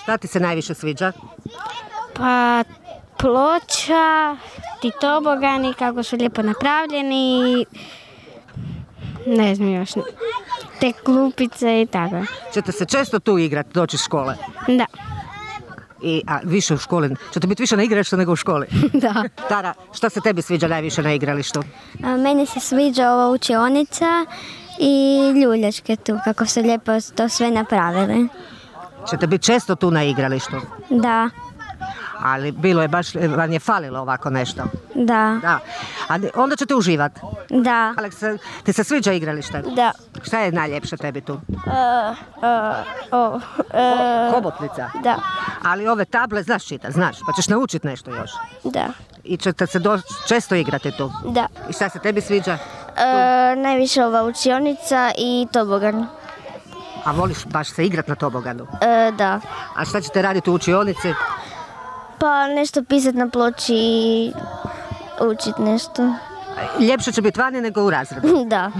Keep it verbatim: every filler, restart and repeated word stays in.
Šta ti se najviše sviđa? Pa ploča, ti tobogani kako su lijepo napravljeni, ne znam još, te klupice i tako. Ćete se često tu igrati, doći iz škole? Da. I, a više u školi, ćete biti više na igralištu nego u školi? Da. Tara, što se tebi sviđa najviše na igralištu? A, meni se sviđa ova učionica i ljuljačke tu, kako su lijepo to sve napravili. Ćete biti često tu na igralištu? Da, Ali bilo je baš, vam je falilo ovako nešto. da, Da. A onda ćete uživati. da, Aleks, ti se sviđa igralište? da. Šta je najljepše tebi tu? Uh, uh, uh, Hobotnica? da, Ali ove table znaš čitati, znaš, pa ćeš naučiti nešto još. da, I ćete se do, često igrati tu. da. I šta se tebi sviđa? Uh, najviše ova učionica i tobogan. A voliš baš se igrati na toboganu? Uh, da. A šta ćete raditi u učionici? Pa nešto pisati na ploči i učiti nešto. Ljepše će biti vani nego u razredu. Da.